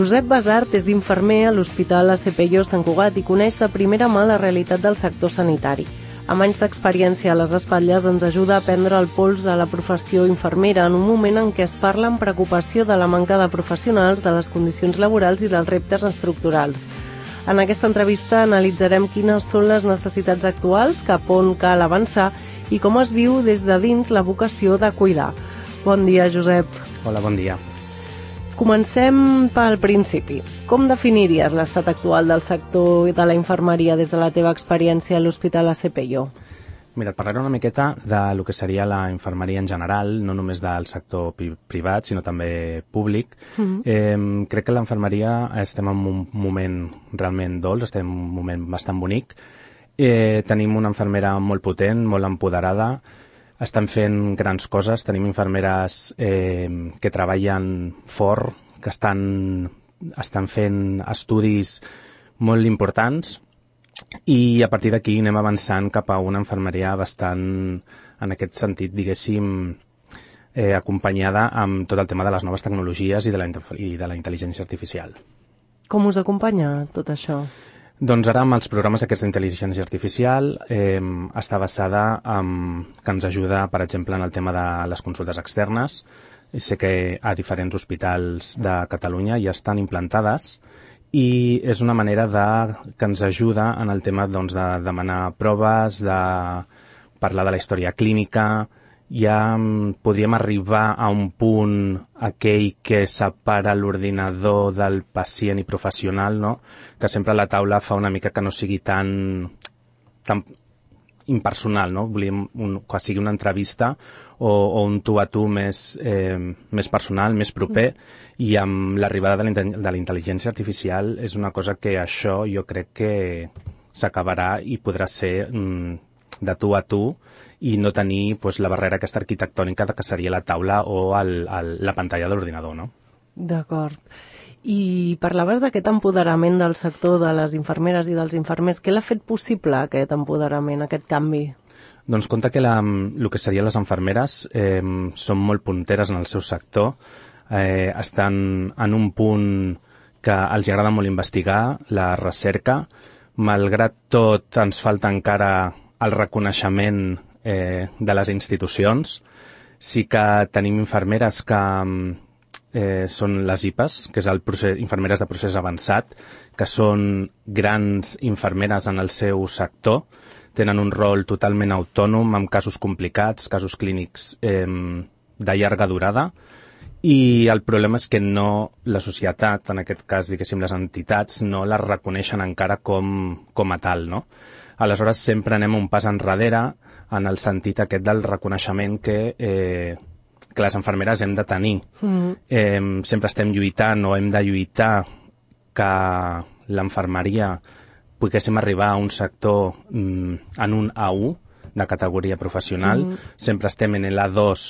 Josep Basart és infermer a l'Hospital ACPIO Sant Cugat i coneix de primera mà la realitat del sector sanitari. Amb anys d'experiència a les espatlles ens ajuda a prendre el pols de la professió infermera en un moment en què es parla amb preocupació de la manca de professionals, de les condicions laborals i dels reptes estructurals. En aquesta entrevista analitzarem quines són les necessitats actuals, cap on cal avançar i com es viu des de dins la vocació de cuidar. Bon dia, Josep. Hola, bon dia. Comencem pel principi. Com definiries l'estat actual del sector de la infermeria des de la teva experiència a l'Hospital ACPIO? Mira, et parlaré una miqueta de lo que seria la infermeria en general, no només del sector privat, sinó també públic. Crec que l'infermeria estem en un moment realment dolç, estem en un moment bastant bonic. Tenim una infermera molt potent, molt empoderada, estan fent grans coses, tenim infermeres que treballen fort, que estan fent estudis molt importants i a partir d'aquí anem avançant cap a una infermeria bastant, en aquest sentit, diguéssim, acompanyada amb tot el tema de les noves tecnologies i de la intel·ligència artificial. Com us acompanya tot això? Doncs ara amb els programes aquests d'intel·ligència artificial està basada que ens ajuda, per exemple, en el tema de les consultes externes. Sé que a diferents hospitals de Catalunya ja estan implantades i és una manera que ens ajuda en el tema de demanar proves, de parlar de la història clínica. Ja podríem arribar a un punt aquell que separa l'ordinador del pacient i professional, no? Que sempre la taula fa una mica que no sigui tan impersonal, no? Volíem que sigui una entrevista o un tu a tu més personal, més proper, i amb l'arribada de la intel·ligència artificial és una cosa que això jo crec que s'acabarà i podrà ser de tu a tu i no tenir la barrera aquesta arquitectònica que seria la taula o la pantalla de l'ordinador, no? D'acord. I parlaves d'aquest empoderament del sector de les infermeres i dels infermers. Què l'ha fet possible, aquest empoderament, aquest canvi? Doncs compte que el que serien les infermeres són molt punteres en el seu sector, estan en un punt que els agrada molt investigar, la recerca. Malgrat tot, ens falta encara el reconeixement de les institucions. Sí que tenim infermeres que són les IPAs, que és infermeres de procés avançat, que són grans infermeres en el seu sector, tenen un rol totalment autònom amb casos complicats, casos clínics de llarga durada, i el problema és que la societat, en aquest cas, diguéssim, les entitats, no les reconeixen encara com a tal, no? Aleshores, sempre anem un pas enrere en el sentit aquest del reconeixement que les infermeres hem de tenir. Sempre estem lluitant o hem de lluitar que l'infermeria poguéssim arribar a un sector en un A1 de categoria professional. Sempre estem en l'A2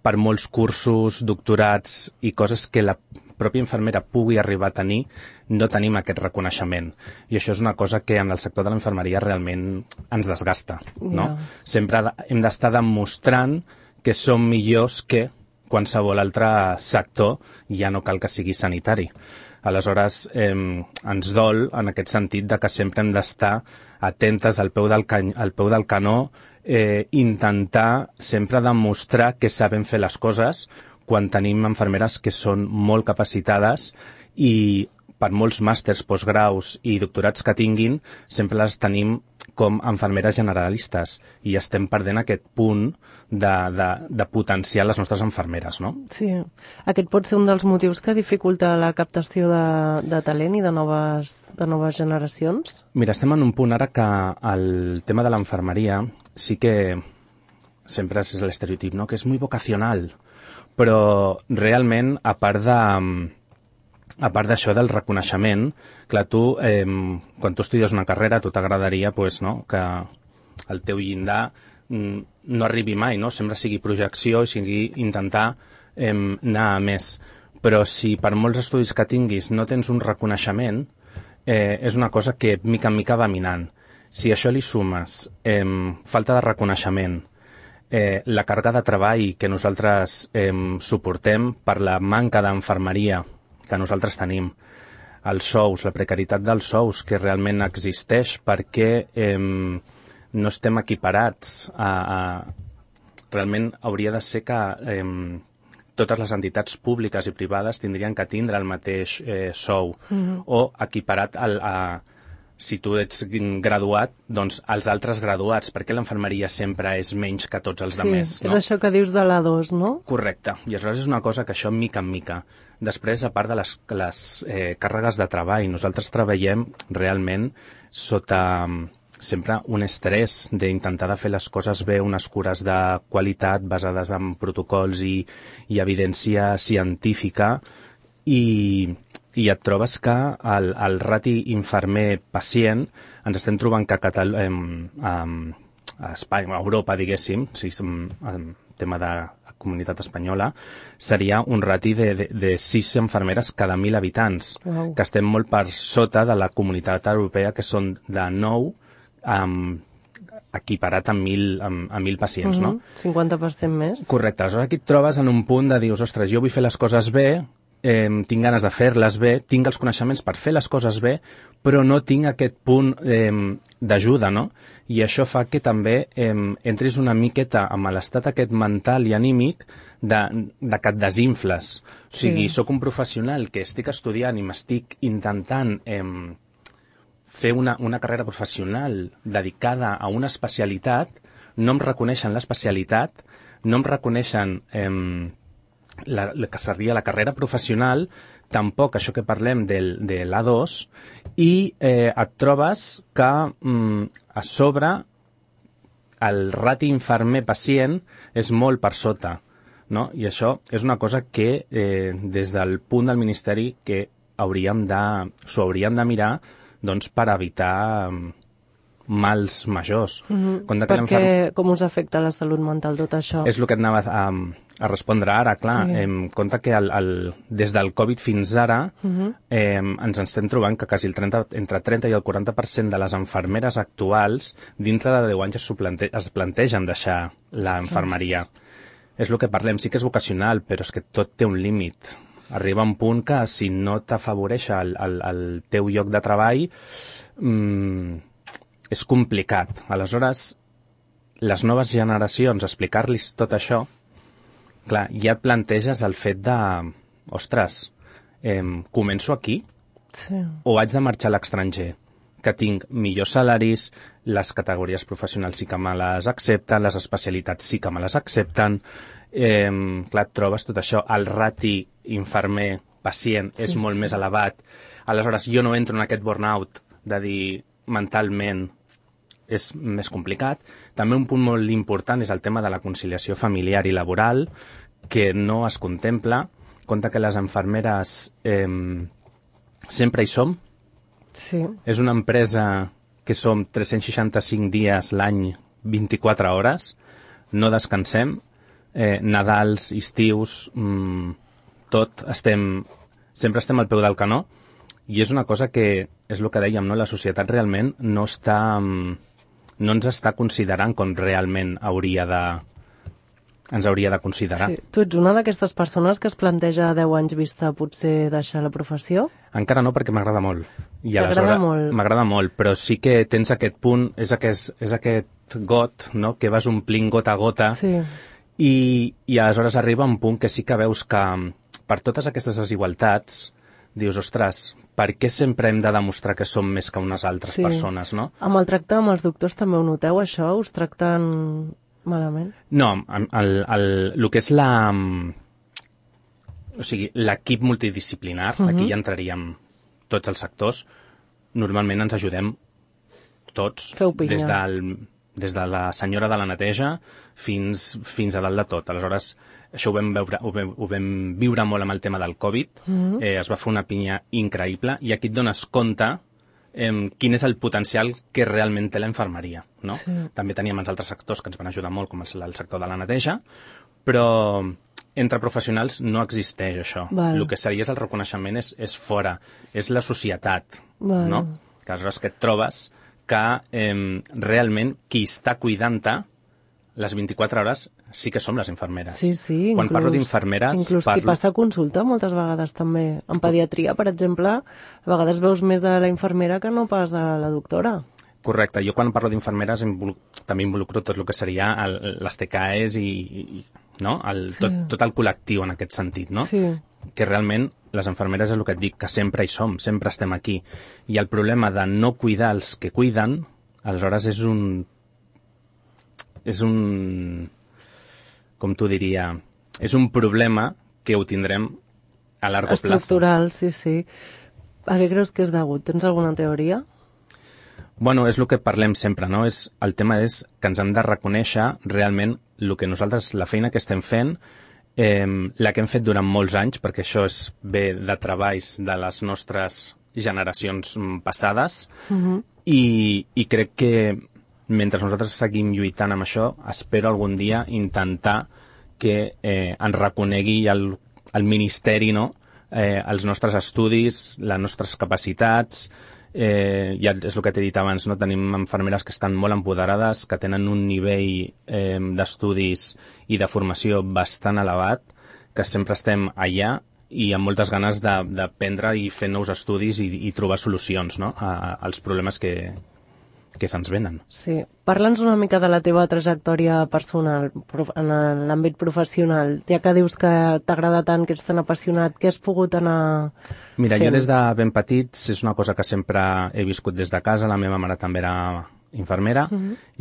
per molts cursos, doctorats i coses que la pròpia infermera pugui arribar a tenir, no tenim aquest reconeixement. I això és una cosa que en el sector de la infermeria realment ens desgasta, no? Sempre hem d'estar demostrant que som millors que qualsevol altre sector, ja no cal que sigui sanitari. Aleshores, ens dol en aquest sentit de que sempre hem d'estar atentes al peu del canó, intentar sempre demostrar que sabem fer les coses quan tenim infermeres que són molt capacitades i per molts màsters, postgraus i doctorats que tinguin, sempre les tenim com infermeres generalistes i estem perdent aquest punt de potenciar les nostres infermeres, no? Sí. Aquest pot ser un dels motius que dificulta la captació de talent i de noves generacions? Mira, estem en un punt ara que el tema de l'infermeria sí que sempre és l'estereotip, no? Que és molt vocacional, però realment, a part d'això del reconeixement, clar, tu, quan tu estudies una carrera, a tu t'agradaria que el teu llindar no arribi mai, no? Sempre sigui projecció i sigui intentar anar a més. Però si per molts estudis que tinguis no tens un reconeixement, és una cosa que mica en mica va minant. Si a això li sumes falta de reconeixement, la càrrega de treball que nosaltres suportem per la manca d'infermeria que nosaltres tenim. Els sous, la precarietat dels sous, que realment existeix perquè no estem equiparats realment hauria de ser que totes les entitats públiques i privades tindrien que tindre el mateix sou o equiparat si tu ets graduat, doncs els altres graduats, perquè l'infermeria sempre és menys que tots els altres, no? És això que dius de l'A2, no? Correcte, i aleshores és una cosa que això mica en mica. Després, a part de les càrregues de treball, nosaltres treballem realment sota sempre un estrès d'intentar de fer les coses bé, unes cures de qualitat basades en protocols i evidència científica, i et trobes que el rati infermer-pacient ens estem trobant que a Espanya, a Europa, diguéssim, si som en tema de comunitat espanyola, seria un rati de 6 infermeres cada 1.000 habitants, que estem molt per sota de la comunitat europea, que són de 9, equiparat amb 1.000 pacients, no? 50% més. Correcte. Aleshores aquí et trobes en un punt de dius, ostres, jo vull fer les coses bé, tinc ganes de fer-les bé, tinc els coneixements per fer les coses bé, però no tinc aquest punt d'ajuda, no? I això fa que també entris una miqueta amb l'estat aquest mental i anímic de que et desinfles. O sigui, sóc un professional que estic estudiant i m'estic intentant fer una carrera professional dedicada a una especialitat, no em reconeixen l'especialitat, no em reconeixen que seria la carrera professional, tampoc això que parlem de l'A2, i et trobes que a sobre el rati infermer-pacient és molt per sota, no? I això és una cosa que des del punt del Ministeri que s'ho hauríem de mirar, doncs, per evitar mals majors. Perquè com us afecta la salut mental tot això? És el que et anava a respondre ara, clar. Compte que des del Covid fins ara ens estem trobant que quasi entre 30 i el 40% de les infermeres actuals dintre de 10 anys es plantegen deixar la infermeria. És el que parlem, sí que és vocacional, però és que tot té un límit. Arriba un punt que si no t'afavoreix el teu lloc de treball és complicat. Aleshores, les noves generacions, explicar-los tot això, clar, ja et planteges el fet de, ostres, començo aquí o haig de marxar a l'estranger, que tinc millors salaris, les categories professionals sí que me les accepten, les especialitats sí que me les accepten, clar, et trobes tot això, el rati infermer-pacient és molt més elevat. Aleshores, jo no entro en aquest burnout de dir mentalment és més complicat. També un punt molt important és el tema de la conciliació familiar i laboral, que no es contempla. Compte que les infermeres sempre hi som. Sí. És una empresa que som 365 dies l'any, 24 hores, no descansem, Nadals, estius, tot, sempre estem al peu del canó, i és una cosa que, és el que dèiem, no? La societat realment no ens està considerant com realment ens hauria de considerar. Sí. Tu ets una d'aquestes persones que es planteja a 10 anys vista potser deixar la professió? Encara no, perquè m'agrada molt. T'agrada molt? M'agrada molt, però sí que tens aquest punt, és aquest got, no?, que vas omplint gota a gota, i aleshores arriba un punt que sí que veus que per totes aquestes desigualtats dius, ostres, per què sempre hem de demostrar que som més que unes altres persones, no? Amb el tracte amb els doctors també ho noteu, això? Us tracten malament? No, el que és l'equip multidisciplinar, aquí ja entraríem tots els sectors, normalment ens ajudem tots. Feu pinya. Des de la senyora de la neteja fins a dalt de tot. Aleshores, això ho vam viure molt amb el tema del Covid. Es va fer una pinya increïble i aquí et dones compte quin és el potencial que realment té la infermeria, no? Sí. També teníem els altres sectors que ens van ajudar molt, com el sector de la neteja, però entre professionals no existeix això. El que seria el reconeixement és fora, és la societat, no? Que aleshores que et trobes que realment qui està cuidant-te les 24 hores sí que som les infermeres. Sí, Quan parlo d'infermeres... Inclús qui passa a consulta moltes vegades també. En pediatria, per exemple, a vegades veus més de la infermera que no pas de la doctora. Correcte. Jo quan parlo d'infermeres també involucro tot el que seria les TKEs no? Tot el col·lectiu en aquest sentit, no? Sí. Que realment les infermeres és el que et dic, que sempre hi som, sempre estem aquí. I el problema de no cuidar els que cuiden, aleshores és un com t'ho diria, és un problema que ho tindrem a largo plazo. Estructural, sí. A què creus que és degut? Tens alguna teoria? Bueno, és el que parlem sempre, no? El tema és que ens hem de reconèixer realment el que nosaltres, la feina que estem fent, la que hem fet durant molts anys, perquè això ve de treballs de les nostres generacions passades, i crec que mentre nosaltres seguim lluitant amb això, espero algun dia intentar que ens reconegui el Ministeri, no? Els nostres estudis, les nostres capacitats, ja és el que t'he dit abans, no? Tenim infermeres que estan molt empoderades, que tenen un nivell d'estudis i de formació bastant elevat, que sempre estem allà i amb moltes ganes d'aprendre i fer nous estudis i trobar solucions, no? als problemes que se'ns venen. Sí. Parla'ns una mica de la teva trajectòria personal en l'àmbit professional. Ja que dius que t'agrada tant, que ets tan apassionat, què has pogut anar Mira, fent? Jo des de ben petits és una cosa que sempre he viscut des de casa. La meva mare també era infermera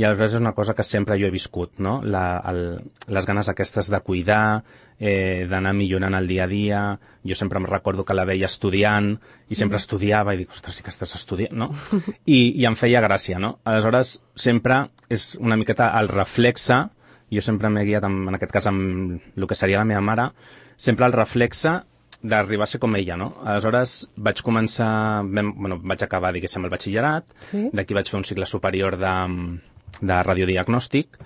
i aleshores és una cosa que sempre jo he viscut, no? Les ganes aquestes de cuidar, d'anar millorant el dia a dia. Jo sempre em recordo que la veia estudiant i sempre estudiava i dic, ostres, sí que estàs estudiant, no? I em feia gràcia, no? Aleshores sempre és una miqueta el reflexe, jo sempre m'he guiat en aquest cas amb el que seria la meva mare, sempre el reflexe d'arribar a ser com ella, no? Aleshores vaig començar, vaig acabar, diguéssim, el batxillerat, d'aquí vaig fer un cicle superior de radiodiagnòstic,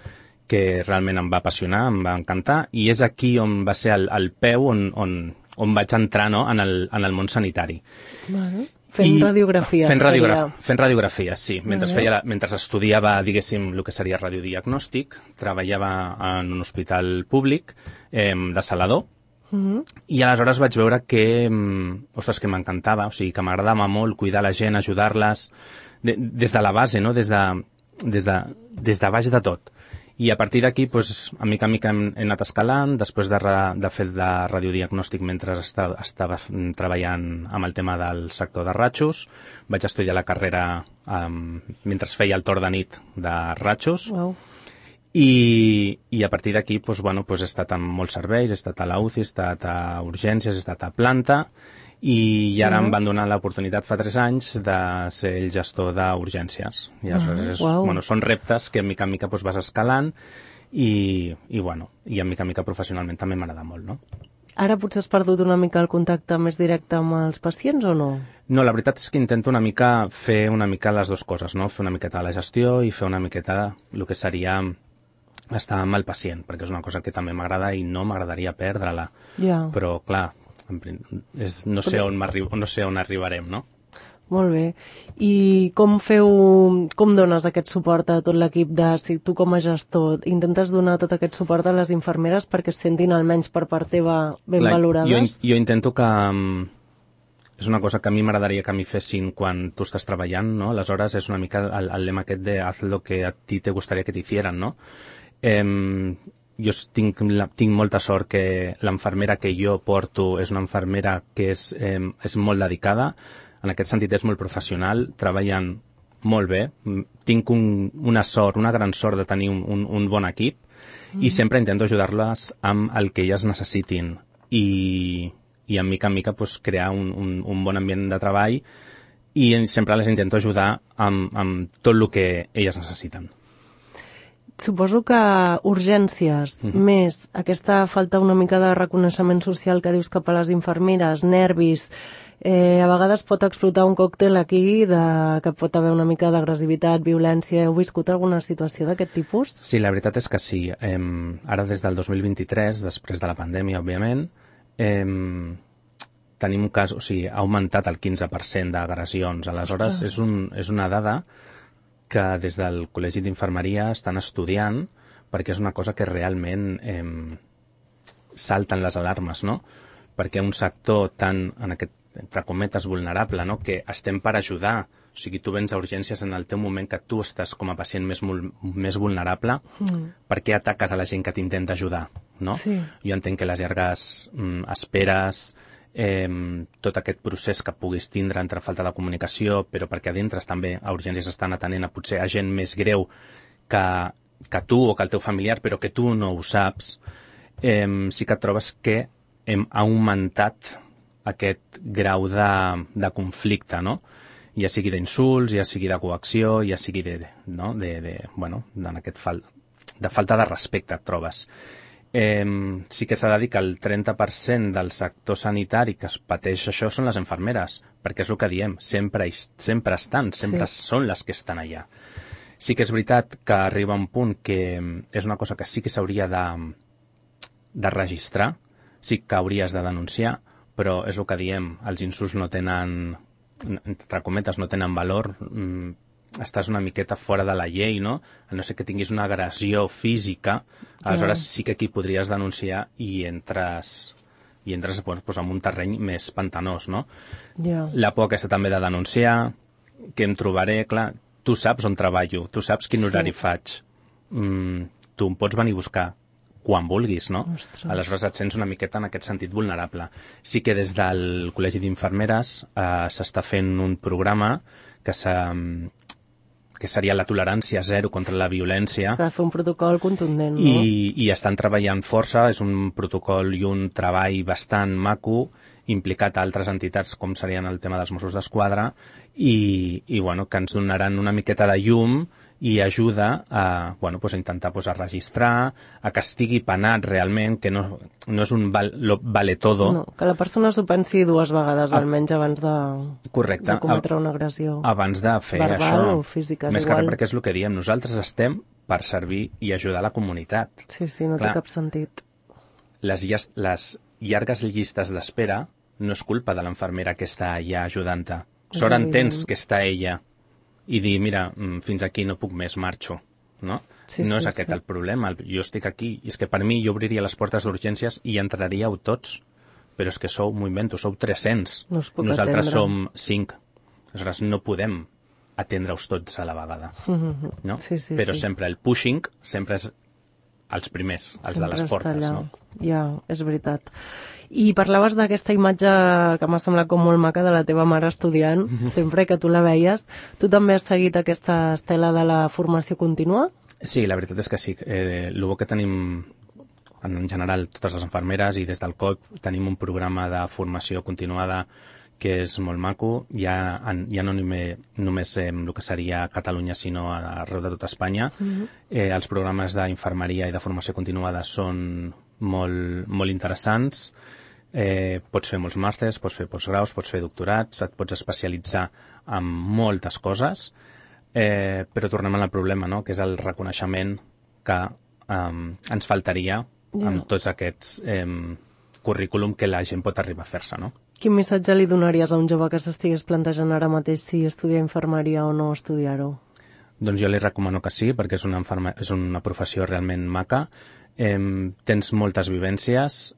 que realment em va apassionar, em va encantar, i és aquí on va ser el peu on vaig entrar, no? en el món sanitari. Bueno. Fent radiografies. Fent radiografies, sí. Mentre estudiava, diguéssim, el que seria radiodiagnòstic, treballava en un hospital públic de Salador, i aleshores vaig veure que m'encantava, o sigui, que m'agradava molt cuidar la gent, ajudar-les, des de la base, no? Des de baix de tot. I a partir d'aquí, a mica en mica he anat escalant, després de fer de radiodiagnòstic mentre estava treballant amb el tema del sector de ratxos, vaig estudiar la carrera mentre feia el torn de nit de ratxos. Wow. I a partir d'aquí he estat en molts serveis, he estat a la UCI, he estat a urgències, he estat a planta, i ara em van donar l'oportunitat fa 3 anys de ser el gestor d'urgències. I aleshores són reptes que mica en mica vas escalant i en mica en mica professionalment també m'agrada molt, no? Ara potser has perdut una mica el contacte més directe amb els pacients o no? No, la veritat és que intento fer una mica les dues coses, no? Fer una miqueta de la gestió i fer una miqueta el que seria estar amb el pacient, perquè és una cosa que també m'agrada i no m'agradaria perdre-la. Ja. Però, clar, no sé on arribarem, no? Molt bé. I com dones aquest suport a tot l'equip si tu com a gestor intentes donar tot aquest suport a les infermeres perquè es sentin almenys per part teva ben valorades? Jo intento que... És una cosa que a mi m'agradaria que m'hi fessin quan tu estàs treballant, no? Aleshores és una mica el lema aquest de haz lo que a ti te gustaría que te hicieran, no? Jo tinc molta sort que l'infermera que jo porto és una infermera que és molt dedicada, en aquest sentit és molt professional, treballen molt bé, tinc una gran sort de tenir un bon equip i sempre intento ajudar-les amb el que elles necessitin i en mica crear un bon ambient de treball i sempre les intento ajudar amb tot el que elles necessiten. Suposo que urgències, més aquesta falta una mica de reconeixement social que dius cap a les infermeres, nervis, a vegades pot explotar un còctel aquí que pot haver una mica d'agressivitat, violència. Heu viscut alguna situació d'aquest tipus? Sí, la veritat és que sí. Ara des del 2023, després de la pandèmia, òbviament, tenim un cas, o sigui, ha augmentat el 15% d'agressions. Aleshores, és una dada que des del Col·legi d'Infermeria estan estudiant perquè és una cosa que realment salten les alarmes, no? Perquè un sector tan, en aquest, entre cometes, vulnerable, no? Que estem per ajudar. O sigui, tu vens a urgències en el teu moment que tu estàs com a pacient més vulnerable, per què ataques a la gent que t'intenta ajudar, no? Sí. Jo entenc que les llargues esperes, tot aquest procés que puguis tindre entre falta de comunicació, però perquè a dintre també a urgències estan atenent a potser a gent més greu que tu o que el teu familiar, però que tu no ho saps, sí que et trobes que hem augmentat aquest grau de conflicte, no? Ja sigui d'insults, ja sigui de coacció, ja sigui de falta de respecte et trobes. Sí que s'ha de dir que el 30% del sector sanitari que es pateix això són les infermeres, perquè és el que diem, sempre estan, sempre són les que estan allà. Sí que és veritat que arriba un punt que és una cosa que sí que s'hauria de registrar, sí que hauries de denunciar, però és el que diem, els insults no tenen, entre cometes, no tenen valor, estàs una miqueta fora de la llei, no? A no ser que tinguis una agressió física, aleshores sí que aquí podries denunciar i entres en un terreny més pantanós, no? La por aquesta també de denunciar, que em trobaré, clar, tu saps on treballo, tu saps quin horari faig, tu em pots venir a buscar quan vulguis, no? Ostres. Aleshores et sents una miqueta en aquest sentit vulnerable. Sí que des del Col·legi d'Infermeres s'està fent un programa que seria la tolerància zero contra la violència. S'ha de fer un protocol contundent, no? I estan treballant força, és un protocol i un treball bastant maco, implicat a altres entitats com serien el tema dels Mossos d'Esquadra i bueno, que ens donaran una miqueta de llum i ajuda a intentar a registrar, a que estigui penat realment, que no és un vale todo. No, que la persona s'ho pensi dues vegades almenys abans de cometre una agressió. Abans de fer verbal això. O física, més que res perquè és el que diem, nosaltres estem per servir i ajudar la comunitat. Sí, no té cap sentit. Les llargues llistes d'espera no és culpa de l'infermera que està allà ajudant-te. Sort entens que està ella i dir, mira, fins aquí no puc més, marxo, no? No és aquest el problema, jo estic aquí, i és que per mi jo obriria les portes d'urgències i entraríeu tots, però és que m'ho invento, sou 300, nosaltres som 5, aleshores no podem atendre-us tots a la vegada, no? Però sempre el pushing sempre és els primers, els de les portes, no? Ja, és veritat. I parlaves d'aquesta imatge que m'ha semblat com molt maca de la teva mare estudiant, sempre que tu la veies. Tu també has seguit aquesta estela de la formació contínua? Sí, la veritat és que sí. El bo que tenim, en general, totes les infermeres i des del COP tenim un programa de formació continuada que és molt maco, ja no només el que seria Catalunya, sinó arreu de tota Espanya. Els programes d'infermeria i de formació continuada són molt interessants. Pots fer molts màsters, pots fer postgraus, pots fer doctorats, et pots especialitzar en moltes coses, però tornem al problema, no? Que és el reconeixement que ens faltaria amb tots aquests currículum que la gent pot arribar a fer-se, no? Quin missatge li donaries a un jove que s'estigués plantejant ara mateix si estudiar infermeria o no estudiar-ho? Doncs jo li recomano que sí, perquè és una professió realment maca. Tens moltes vivències,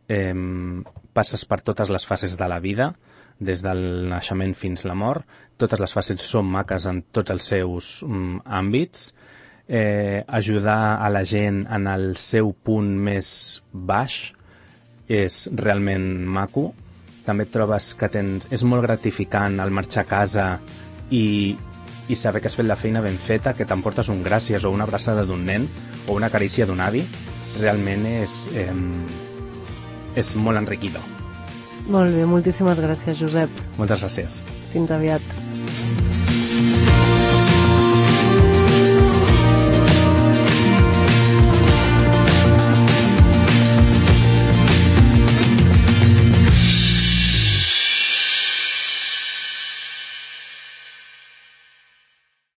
passes per totes les fases de la vida, des del naixement fins la mort. Totes les fases són maques en tots els seus àmbits. Ajudar a la gent en el seu punt més baix és realment maco. També et trobes que és molt gratificant al marxar a casa i saber que has fet la feina ben feta, que t'emportes un gràcies o una abraçada d'un nen o una carícia d'un avi. Realment és molt enriquidor. Molt bé, moltíssimes gràcies, Josep. Moltes gràcies. Fins aviat.